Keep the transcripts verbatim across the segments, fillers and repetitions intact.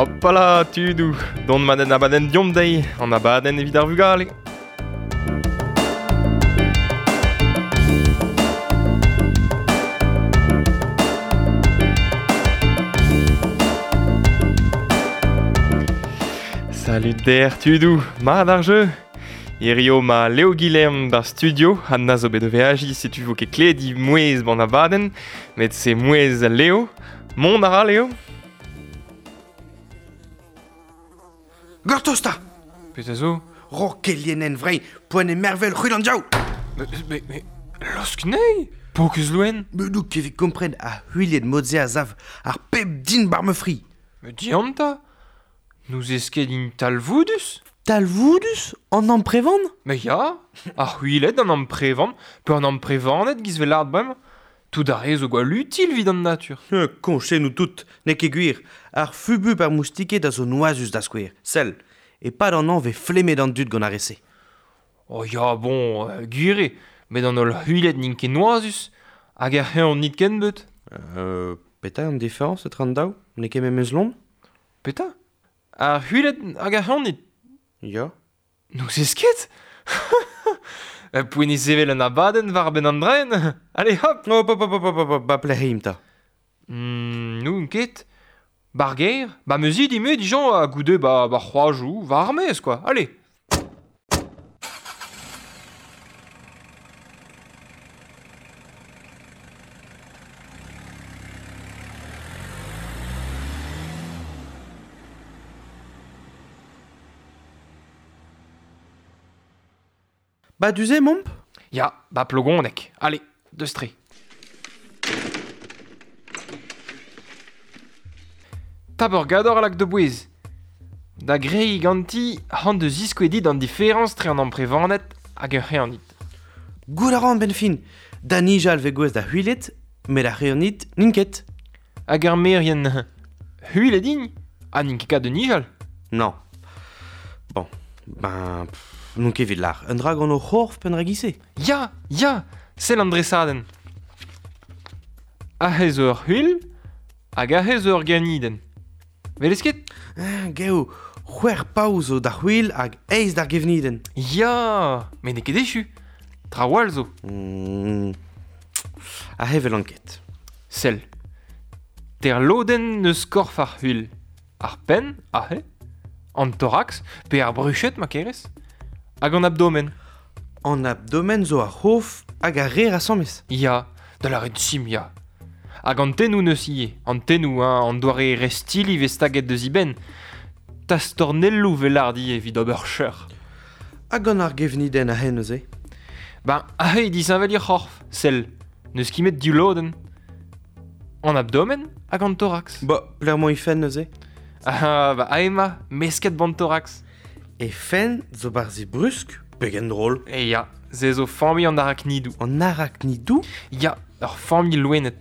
Hopala, tudou, don maden abadenn diomp dezhi, an abadenn evit ar vugale. Salut der tudou, mat ar jeu. Hirio ma Léo Guilherme bar studio, an a zo bet o veaji, setu vo ket kledi mouez ban abadenn, met se mouez Léo. Mont a ra, Léo? Gortoz ta! Petra zo? Ro kelienen vrein, poan e mervel c'hwil an diaou! Mais, mais, mais, losk nei! Pokus loen! Me douk evit kompren a c'hwiliet modze a zav ar pep din bar me fri. Me dianta? Nous esket in talvoudus? Talvoudus? An amprevan? Mais ya, ar c'hwiled an amprevan, pe an amprevanet giz vel art bremañ. Tout ar re zo gwall util vid an natur. Koñche nou tout, n'eo ket gwir. Ar fubu par moustiket a zo noazus da skouer. Sell, e pad an an ve flemmet an dud gant ar rese. Oh ya, bon, euh, gwir eo, met an holl c'hwiled n'int ket noazus, hag ar c'heñv nit ken beut. Euh, petra an différence etre an daou? N'eo ket memes lon? Petra? Ar c'hwiled hag ar c'heñv nit? Ya. N'ouzez ket? Poent e sevel an abadenn war benn an draen. Allez hop! Hop, hop, hop, hop, hop, hop, ba plec'h ta. Mm, n'oun ket. Bar ger, ba meuzi dime dijon a goude ba, ba c'hoajou, va ar maez, quoi. Allez. Ba duze, momp? Ya, ba plogonek. Allez, deus tre. Tap ur gador a lak de bouez. Da grei ganti han deus ziskouedit an diferañs tre an amprevanet hag ur c'heanit. Gout a ran ben fin. Da nijal ve gwez da c'hwilet, met ar c'heanit n'int ket. Hag ar merien c'hwilet int, ha n'int ket kat de nijal. Non. Bon, ben... Pff. N'on ket evit lar. Un dra gant o c'horf penn ragise. Ya, ya, sell an dresadenn. Aze zo ur c'hwil, hag aze zo ur gevnidenn. Velez ket? Ah, geo, c'hwec'h pav zo d'ar c'hwil hag eizh d'ar gevnidenn. Ya, met n'eo ket echu. Trawal zo. Mm. Aze velan ket. Sell. Ter lodenn neus korf ar c'hwil. Ar penn, aze, an thorax, pe ar bruched ma kerez. Hag an abdomen. An abdomen zo ar c'hof hag ar re asambles. Ya, da lâret sim, ya. Hag an tennoù neus ivez. An tennoù, hein, an doare restili vez staget deus iben. Tastornelloù vel lard ivez evit ober cheur. Hag an ar gevnidenn aze neuze? Ben, aze disheñvel ir c'horf, sell. N'eus ket met div lodenn. An abdomen hag an thorax. Ba, plec'h he fenn neuze? Ah, ba, aze ma, mesket ban thorax. E fenn zo barzi brusk, pegen drôl. E ya, ze zo familh an araknidou. An araknidou? Ya, ur familh loened.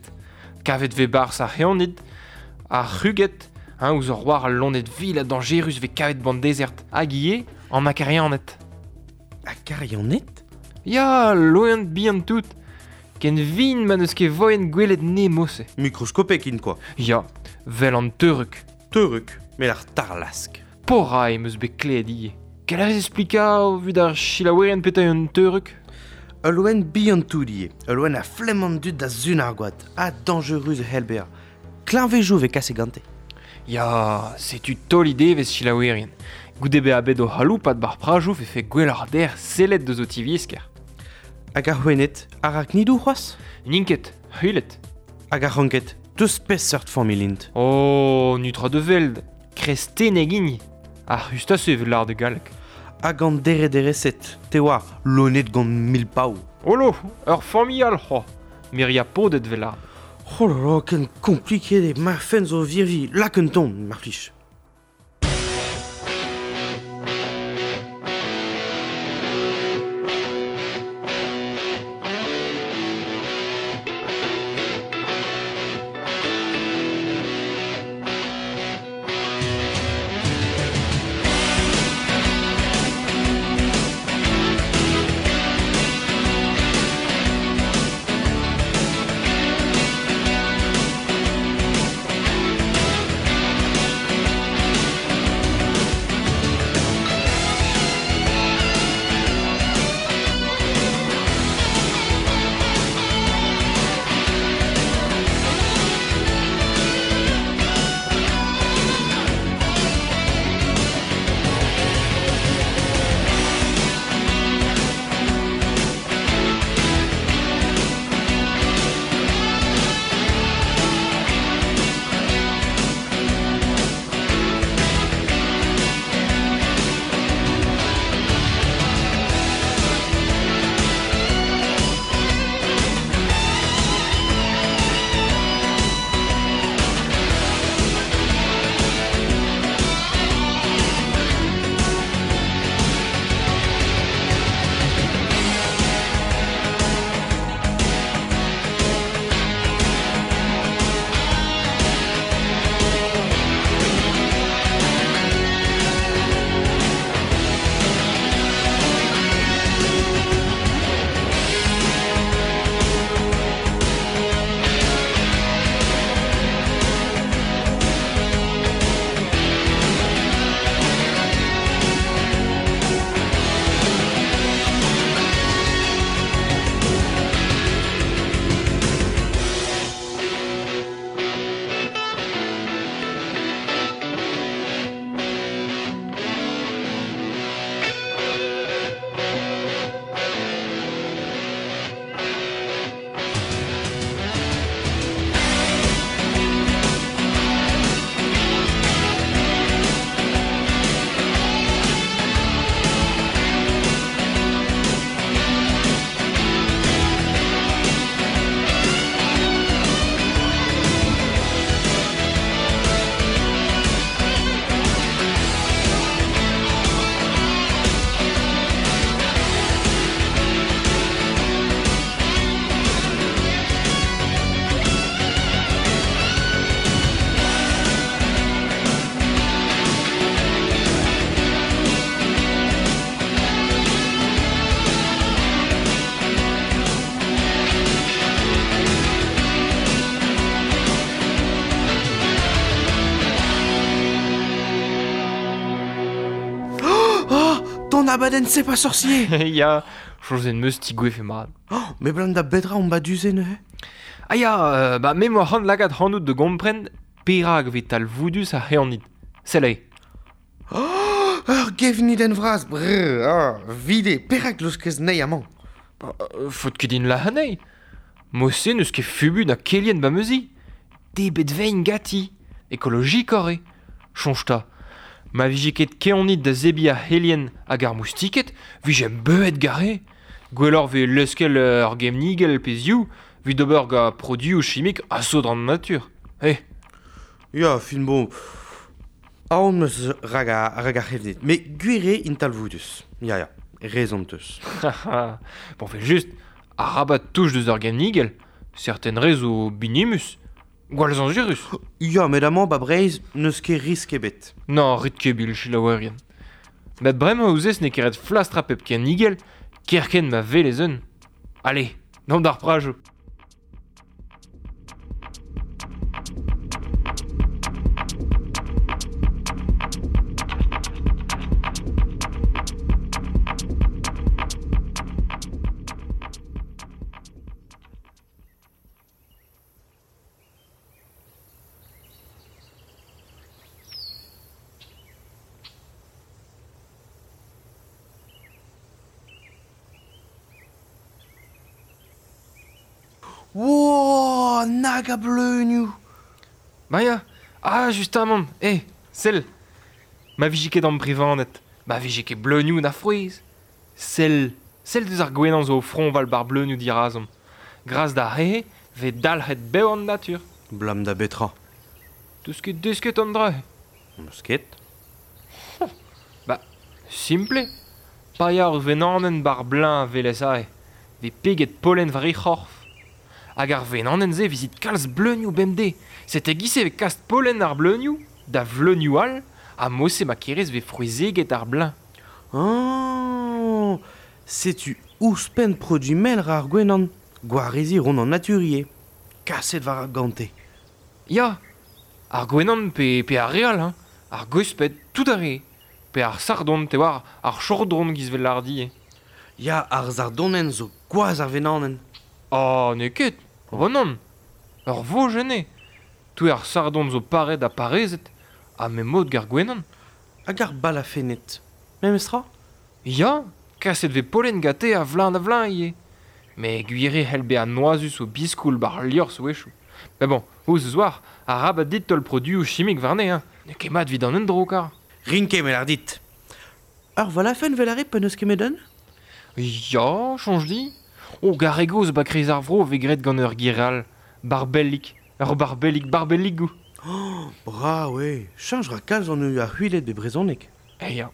Kavet ve barz ar c'heanid, ar c'huged, hein, ouzh ur war al loened vil ha dañjerus ve kavet ban dezert. Hag ivez, an akarianed. Akarianed? Ya, loened bihan tout. Ken vin ma n'eus ket voen gwelet nemose. Mikroskopek int, quoi. Ya, vel an teuruk. Teuruk, met ar tarlask. Pora em eus bet kleet ivez. Kel a rez explika vit ar chilaouerien petra un teuruk? Ul loen bihan tout ivez. Ul loen a flemm an dud da zun ar gwad. Ha dañjerus e c'hell bezañ. Kleñvejoù vez kase gante. Ya, setu taol ide vez chilaouerien. Goude bezañ bet o c'haloupat bar prajoù fe fe gwell ar der sellet deus o tiviesker. Hag ar c'hwened, araknidou c'hoazh? N'int ket, c'hwilet. Hag ar c'hranked, deus peseurt familh int? Oh, nutra de veld, kresteneg int. Ar c'hustase evit lard de galleg. Hag an deredereset, te oa, loened gant mil pav. Olo, ur familh all c'hoazh, miria podet vel lard. Oh là là, ken kompliket eo, ma fenn zo virvi, lak un ton, mar plij. Ton abadenn c'est pas sorcier. Ya, soñjet 'm eus tigouefe mat. Oh, me blam da betra on ba du-se neuze. Ah ya, euh, ba me 'moa c'hoant lakaat ac'hanout da gompren perak 'vez talvoudus ar c'hevnid. Sell aze. Oh, ur gevnidenn vras, brr, ah, vide, perak laoskez anezhi amañ? Ba, euh, faot ket din lazhañ anezhi. Mod-se n'eus ket fubu na kelien ba ma zi. Debret 'vin ganti. Ekologikoc'h eo. Soñj 'ta. Ma vije ket kevnid da zebriñ ar c'helien hag ar moustiked, 'vijemp beuzet gare. Gwelloc'h 'vez leuskel ur gevnigell pe ziv, 'vit ober gant produioù chimik a saotr an natur. Eh. Ya, fin bon. Aon 'm eus rak ar, rak ar c'hevnid. Met gwir eo int talvoudus. Ya, ya, rezon 'teus. Bon, 'vel just, arabat touch deus ar gevnigell. Serten re zo binimus. Gwall zañjerus. Ya, met amañ ba Breizh n'eus ket risk ebet. Non, rit ket bil selaouerien. Met bremañ ouzez n'eo ket ret flastrañ pep kevnigell, kerkent ma welez un. Allez, deomp d'ar prajoù. Wow, nag a bleunioù. Ba ya, ah, justamant, eh, sell. Ma vije ket amprevaned, ma vije ket bleunioù na frouezh. Sell, sell deus ar gwenan zo o froñval bar bleunioù dirazomp. Gras d'ar re-se 'vez dalc'het bev an natur. Blam da betra? 'Teus ket desket an dra-se? 'Meus ket. Ba, simpl eo. Pa ya ur wenanenn bar bleuñv a welez aze, 'vez peget pollen war he c'horf. Hag ar wenanenn-se 'vizit kalz bleunioù bemdez. Sete 'giz-se 'vez kas pollen ar bleunioù, da vleunioù all, ha mod-se ma kerez 'vez frouezheget ar bleuñv. Ah, setu ouzhpenn produiñ mel ra ar gwenan. Gwareziñ 'ront an natur ivez. Kaset war ar gante. Ya, ar gwenan pe, pe ar re all, hein. Ar gwesped, tout ar re. Pe ar sardon, te oar, ar chordron 'giz 'vel lâret ivez. Ya, ar sardonenn zo gwazh ar wenanenn. Ah, n'eo ket. Oh nann. Ur vojenn eo. Tout ar sardon zo paret ha parezet, ha me mod g'ar gwenan. Hag ar balafenned. Memes tra? Ya, kaset 'vez pollen gante a vleun da vleun ivez. Met gwir eo c'hell bezañ noazus o biskoul 'bar liorzh a-wechoù. Met bon, ouzh 'oar, arabat dit taol produioù chimik warne, hein. N'eo ket mat 'vit an endro, kar. Rin ket me lâr dit. Ur valafenn 'vel ar re pa n'eus ket met un? Ya, soñj din. O, g'ar re gozh 'ba kreiz ar vro 'vez graet gant ur ger all. Barbellig. Ur barbellig barbelligoù. Oh, brav eo. Cheñch 'ra kalz an ar c'hwiled be brezhoneg. Eh ya.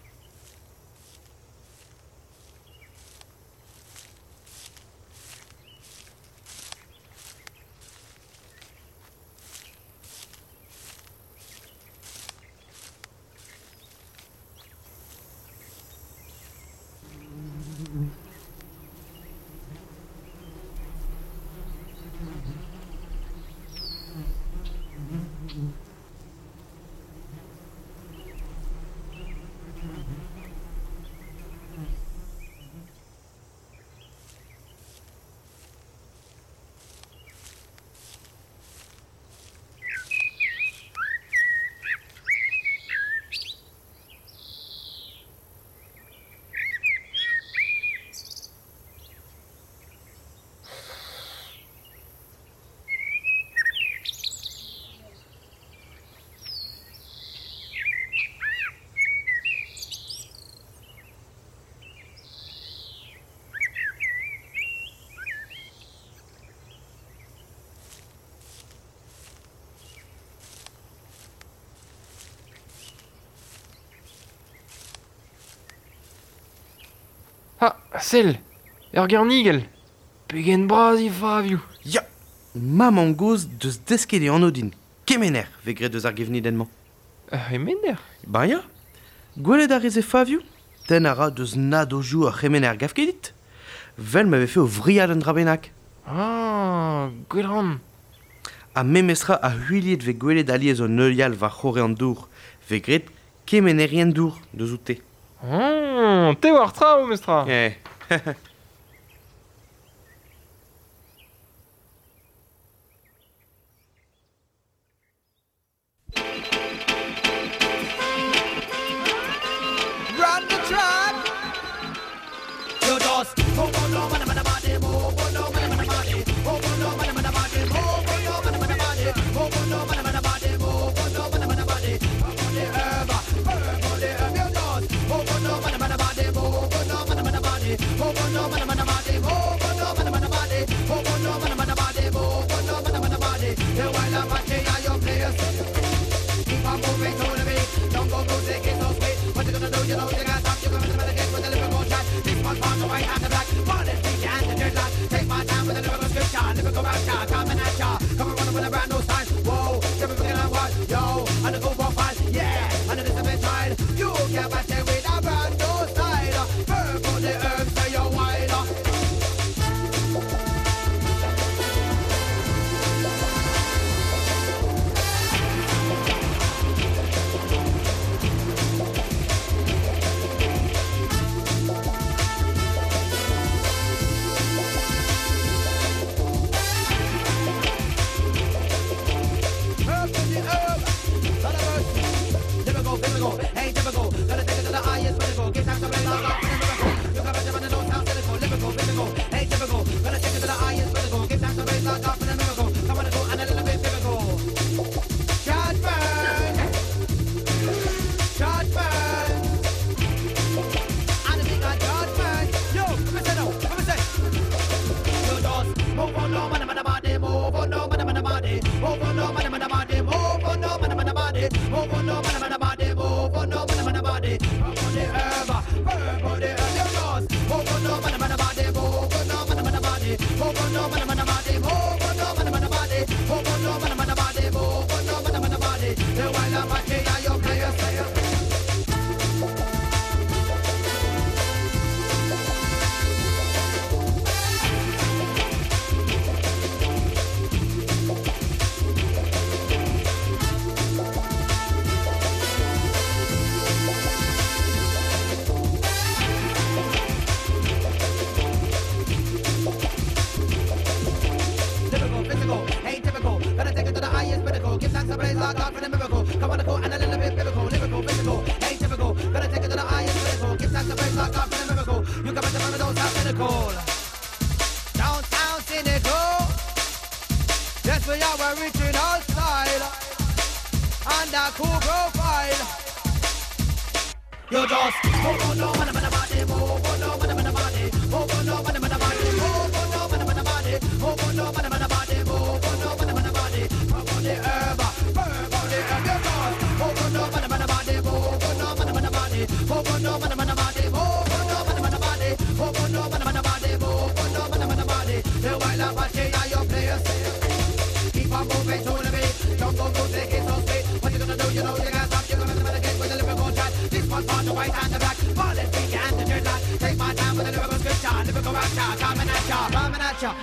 Ah, sell, ur gernigell. Pegen bras he favioù. Ya, ma mamm-gozh deus desket e anv din. Kemener 'vez graet deus ar gevnidenn-mañ. Ur c'hemener? Ba ya. Gwelet a rez e favioù? Tenn a ra deus nadozioù ar c'hemener 'gav ket dit? 'Vel ma vefe o wriat un dra bennak. Ah, gwell 'ran. Ha memestra a c'hwiliet 'vez gwelet alies o neuial war c'horre an dour. 'Vez graet kemenerien dour deus oute. Oh, te war tra, o mestra. Eh.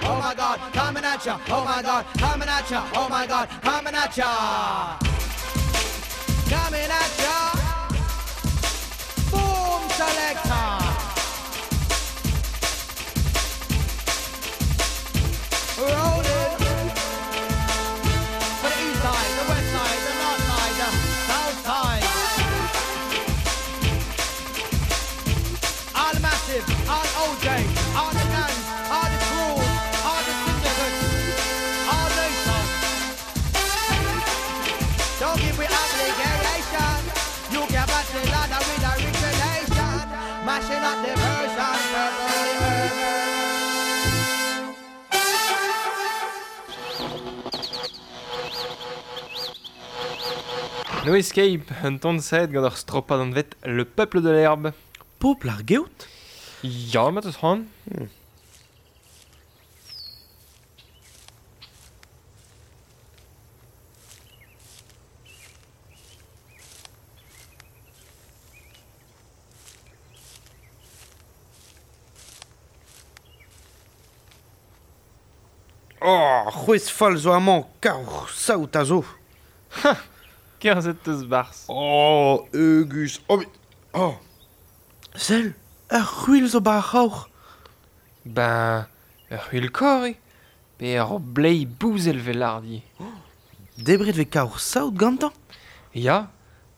Oh my God, coming at ya. Oh my God, coming at ya. Oh my God, coming at ya. Coming at ya. Boom selector. Rolling. For the east side, the west side, the north side, the south side. All massive, all O J, all the gangs, all the crews, all the syndicates, all nations. Don't give me obligation. You can battle ladder with origination. Mashing up the version. No Escape, un ton sed gant ur stropad an vet Le Peuple de l'Herbe. Popl ar geout? Ya, ma teus c'hoant. Hmm. Oh, c'hwez fall zo amañ, kar saout a zo. Ha, kerzhet teus barzh. Oh, eugus. Oh, met... Oh, Sell, ur c'hwil zo ba ar c'haoc'h. Ben, ur c'hwil kor eo, pe ur blei bouzel vel ardi. Oh, debret ve kaoc'h saout gantañ? Ya,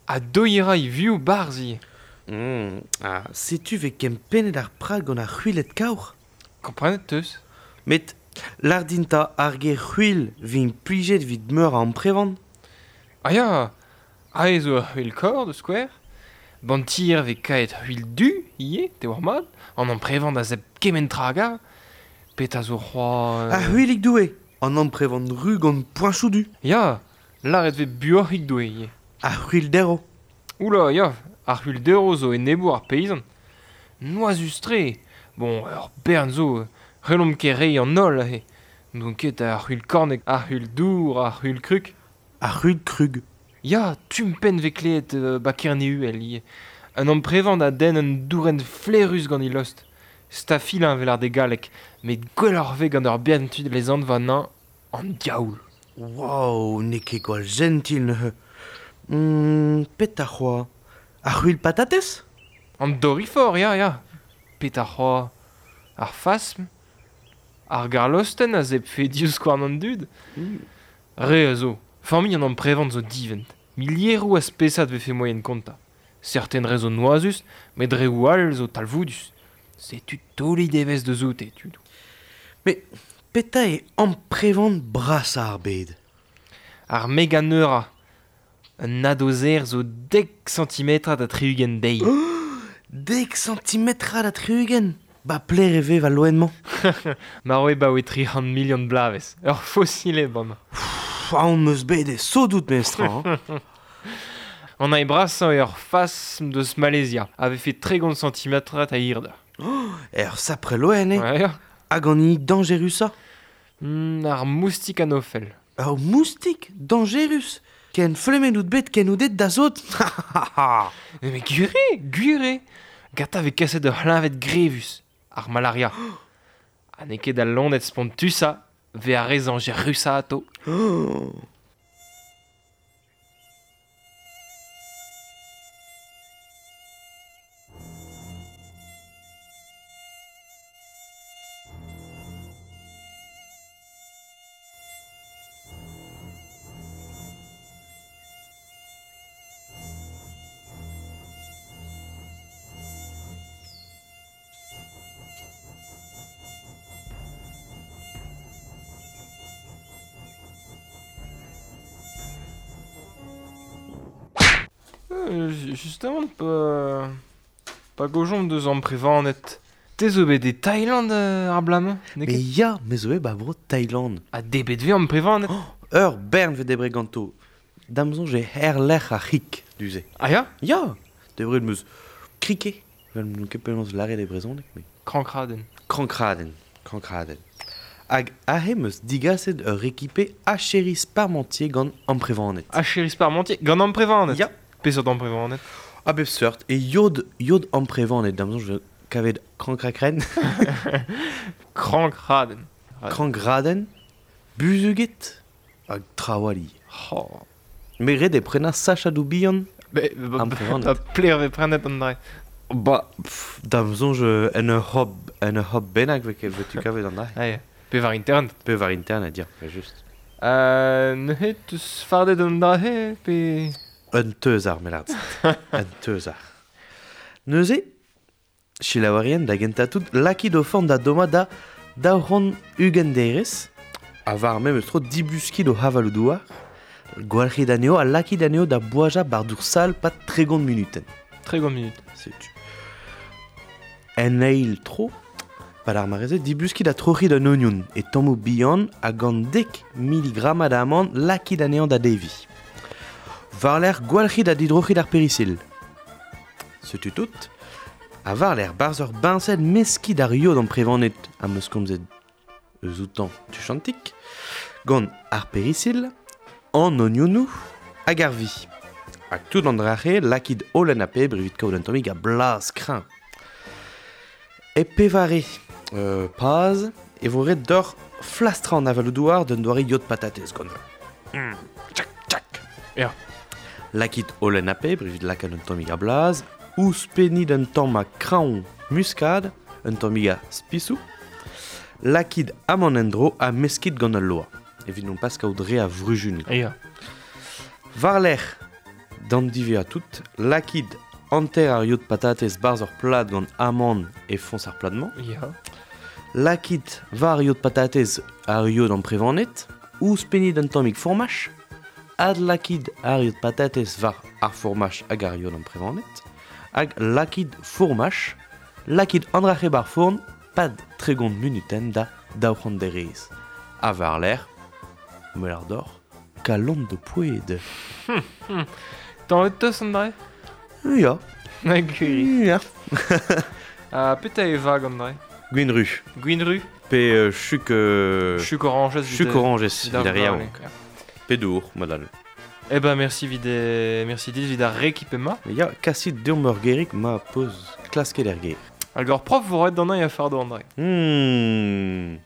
ha doira i viou barzi. Mm, ah, setu ve kempennet ar prag gant ar c'hwilet kaoc'h. Komprenet teus? Met, lardinta ar ger c'hwil vin plijet vit meur a amprevan. Ah ya, aze zo ur c'hwil kor de skouer. Bantir ve kaet c'hwil du, ivez, te war mat, an amprevan a zeb kement traga. Pet a zo c'hoa... Euh... Ar c'hwilig doue, an amprevan ru gant poañchoù du. Ya, lâret ve buoc'hig doue ivez. Ar c'hwil dero. Oula, ya, ar c'hwil dero zo enebour ar peizant. Noazus-tre. Bon, ur bern zo, relomp ket reiñ an holl aze. N'on ket ar c'hwil kornek, ar c'hwil dour, ar c'hwil krug. Ar c'hwil krug. Ya, tumpen ve kleet euh, ba Kerne-Uhel ivez. Un amprevan a den un dourenn flerus gant he lost. Stafilin vel ar de galleg, met gwelloc'h ve gant ur bern tud les anv an diaoul. Wow, n'eo ket gwall gentil neuze. Mm, pet ar c'hoa. Ar c'hwil patatez? An dorifor, ya, ya. Pet ar c'hoa. Ar fasm. Ar garlosten a zebfe divskouarn an dud. Mm. Re a zo. Familh an amprevan zo divent. Milieroù a spesad vefe moyen konta. Certaines re zo noazus, met reoù all zo talvoudus. Setu taoli devez deus oute, tud. Mais peta e amprevan bras ar bed? Ar meganeura. Un nadozer zo dek centimetra da tri-ugent deiz. Oh, dek centimetra da tri-ugent? Ba pler e ve va loen-mañ. Mar oe ba oe tri c'hant milion blavez. Ur fossile bam. Pff, aon meus bet e sodout mestra. Hein. An ae brasañ eo ur fasm deus Malaysia, a vefe tregont centimetrat a hirder. Oh, ur sapre loen, eh? Ouais, ya. Hag an hini dañjerusañ? Mm, ar moustik anofel. Ur moustik dañjerus? Ken flemmen out bet ken out et da zot. Mais gwir eo, gwir eo. Gata vez kaset ur c'hleñved grevus, ar malaria. Ha n'eo ket al loened spontusañ ve ar re zañjerusañ atao. Oh. Euh, justement, pa, pa gojomp deus amprevaned. Te zo bet e Thaïland euh, ar blamañ? Mais ya, me zo bet ba bro Thaïland. Ha debet ve amprevaned? Oh, ur bern ve debre ganto. Da'm soñj e herlec'h ar c'hik, du-se. Ah ya? Ya, debret meus krike. Vel n'on ket penaos lâret e brezhoneg, mais... Krankradenn. Krankradenn, krankradenn. Hag aze meus digaset ur rekipe acheris parmentier gant amprevaned. Acheris parmentier gant amprevaned? Ya. Peseurt amprevaned? A bep seurt, e yod, yod amprevaned, da'm soñj kavet krankrakren. Krankradenn. Krankradenn, buzuget, hag trawali. Oh. Me ret e prenañ sachadoù bihan amprevaned. Ba pler ve prenet an dra. Ba, pff, da'm soñj en ur hop, en ur hop bennak ve tu kavet an dra. Ah, ya. Pe war internet. Pe war internet, ya, just. Euh, neuze teus fardet an dra pe... Un teuzar, melard. Un teuzar. Neuze, selaouerien da gentañ tout, lakit o forn da dommañ da daou c'hant ugent derez, ha war memes tro dibuskit o havaloù douar, gwalc'hit anezho ha lakit anezho da boajañ bar dour sal pad tregont munutenn. Tregont minut. Setu. En eil tro, pad ar mare-se, dibuskit ha troc'hit un ognon e tammoù bihan ha gant dek miligrammad a amann lakit anezhañ da deviñ. War-lerc'h gwalc'hit ha didroc'hit ar perisil. Setu tout. Ha war-lerc'h barzh ur biñsel meskit ar yod amprevaned am eus komzet eus outañ tuchantik, gant ar perisil, an ognonoù hag ar vi. Hag tout an dra-se lakit holen ha pebr evit kaout un tammig a blaz kreñv. E pevare euh, paz e vo ret deoc'h flastrañ an avaloù-douar d'un doare yod patatez gant. Mm. Tchak, tchak. Ya. Lakit holen ha pebr evit lakaat un tammig a blaz, Ouzhpennit un tamm a kraoñ muskad, un tammig a spisou. Lakit amann en-dro ha meskit gant al loa. Evit non pas kaout re a vrujun. Ya. War-lerc'h, d'an diwezhañ tout, lakit hanter ar yod patatez barzh ur plad gant amann e foñs ar plad-mañ. Ya. Lakit war yod patatez ar yod amprevanet, ouzhpennit un tammig fourmaj, adlakit ar yod patatez war ar fourmaj hag ar yod amprevanet, hag lakit fourmaj, lakit an dra-c'he bar fourn, pad tregont munuten da daou c'hant derez. Ha war-lerc'h, melar d'or, kalon de poued. Tañvet teus an dra? Ya. Hag gwir. Ya. Ha petra e vag an dra? Gwin ru. Gwin ru? Pe euh, chuk... Euh, Chuk oranjez. Chuk oranjez, vid ar vid ar yaou. vugale. Pe dour, modal. Eh ben merci vid e... merci dit vid ar rekipe ma. Ya, kasit deomp ur gerig ma peus klasket er ger. Hag ur prof vo roet d'an a fardo an dra. Hmm.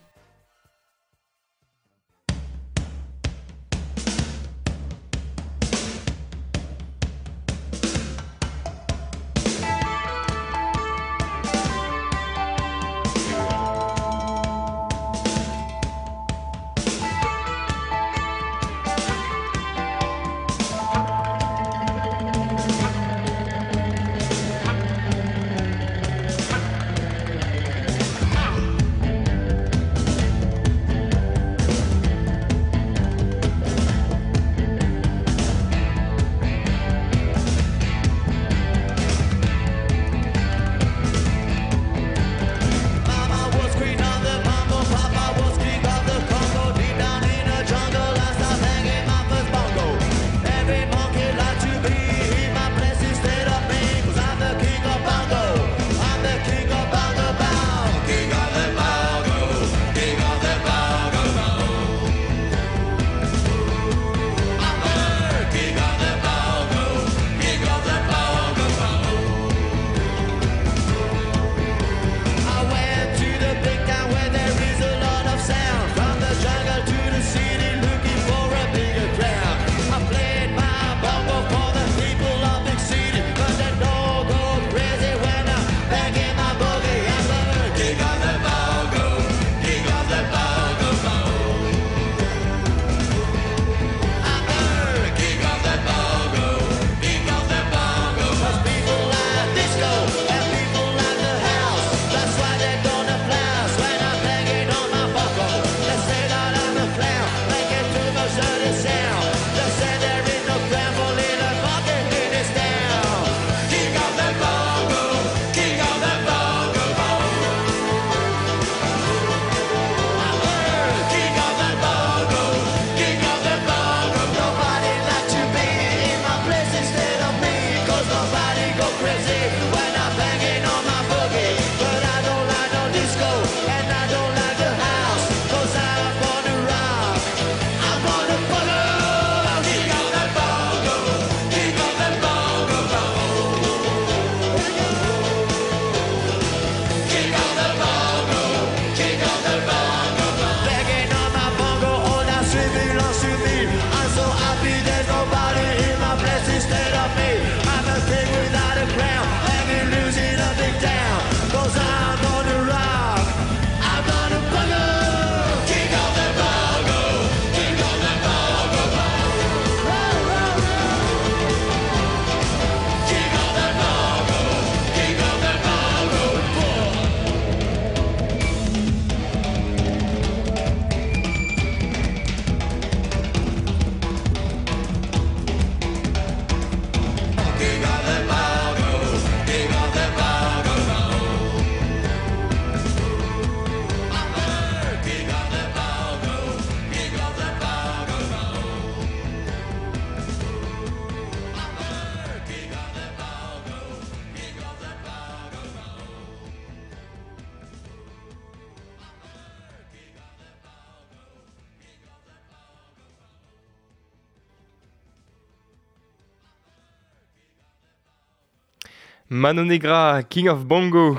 Mano Negra, King of Bongo.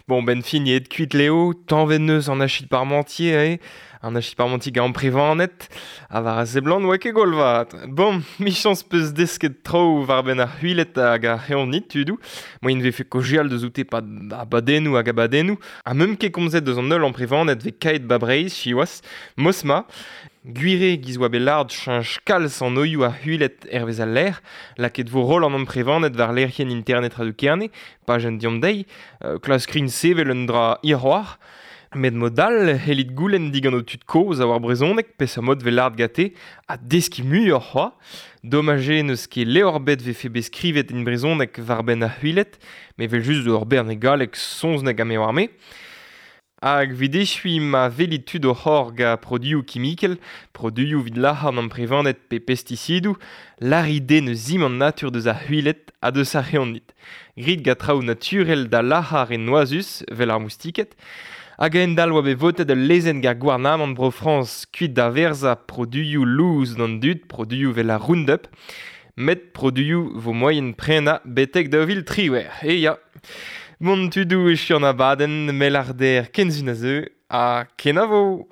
Bon, ben fin et kuit Léo, tañvet neus an achit parmentier, eh? An achi parmantik a amprevanet, a war a seblant oa ket golvat. Bon, michans peus desket traoù war ben ar c'hwilet hag ar c'heonnit, tudou. Moin vefe kojeal deus oute pad abadennoù hag abadennoù. Ha meum ket komzet deus an eul amprevanet ve kaet ba Breizh, siwazh, mosma. Gwire giz oa bet lard cheñch kalz an oioù ar c'hwilet hervez al lec'h, lakaet vo roll an amprevanet war lec'hienn internet Radio Kerne, pajenn diomp dezhi, euh, klask rin sevel un dra hiroc'h. Met mod all, hellit goulenn digant o tud kozh a war brezhoneg, peseurt mod vel lard gate, ha deskiñ muioc'h c'hoazh. Domaj eo n'eus ket levr bet vefe bet skrivet en brezhoneg war benn ar c'hwilet, met vel just ur bern e galleg soñzneg ha me war me. Hag evit echuiñ ma welit tud o c'horr gant produioù kimikel, produioù evit lac'hañ an amprevaned pe pestisidoù, lârit dezhe n'eus zim an natur deus ar c'hwilet ha deus ar c'heonnit. Grit gant traoù naturel da lac'hañ re noazus, vel ar moustiked. Hag a-hend-all oa bet votet ul lezenn gant gouarnamant Bro-Frañs kuit da verzañ produioù lous d'an dud, produioù vel ar Roundup, met produioù vo moaien prenañ betek daou vil triwec'h. E ya. Bon tudoù echu an abadenn, mell ar der kenzun a zeu, ha kenavo!